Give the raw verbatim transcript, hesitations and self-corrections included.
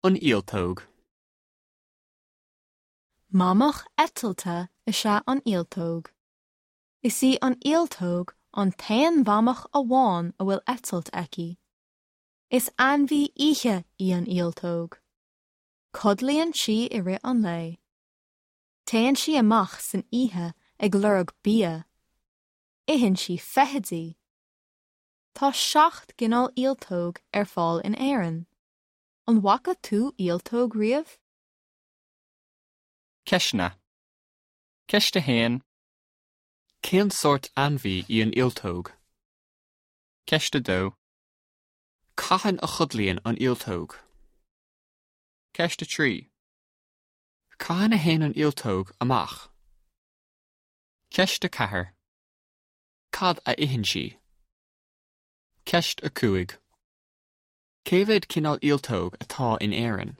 An ialtóg. Mamach eitilte is ea an ialtóg. Is í an ialtóg an t-aon mhamach amháin a bhfuil eitilt aici. Is ainmhí oíche í an ialtóg. Codlaíonn sí i rith an lae. Téann sí amach san oíche ag lorg bia. Itheann sí feithidí. Tá seacht gcineál ialtóg ar fáil in Éirinn. An bhfaca tú ialtóg riamh? Ceisteanna. Ceist a haon. Cén sórt ainmhí í an ialtóg? Ceist a dó. Cathain a chodlaíonn an ialtóg? Ceist a trí. Cathain a théann an ialtóg amach? Ceist a ceathair. Cad a itheann sí? Ceist a cúig. Cé mhéad cineál ialtóg atá in Éirinn?